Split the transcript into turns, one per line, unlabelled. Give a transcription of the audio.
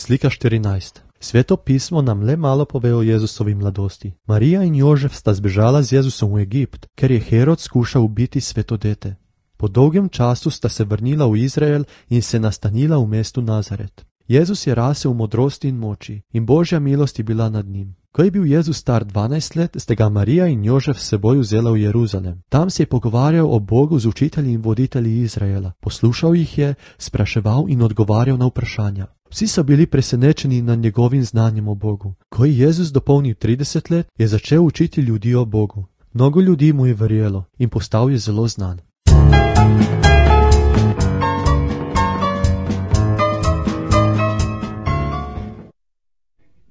Slika 14. Sveto pismo nam le malo pove o Jezusovi mladosti. Marija in Jožef sta zbežala z Jezusom v Egipt, ker je Herod skušal ubiti sveto dete. Po dolgem času sta se vrnila v Izrael in se nastanila v mestu Nazaret. Jezus je rasel v modrosti in moči in Božja milost je bila nad njim. Ko je bil Jezus star 12 let, sta ga Marija in Jožef s seboj vzela v Jeruzalem. Tam se je pogovarjal o Bogu z učitelji in voditelji Izraela. Poslušal jih je, spraševal in odgovarjal na vprašanja. Vsi so bili presenečeni nad njegovim znanjem o Bogu. Ko je Jezus dopolnil 30 let, je začel učiti ljudi o Bogu. Mnogo ljudi mu je verjelo in postal je zelo znan.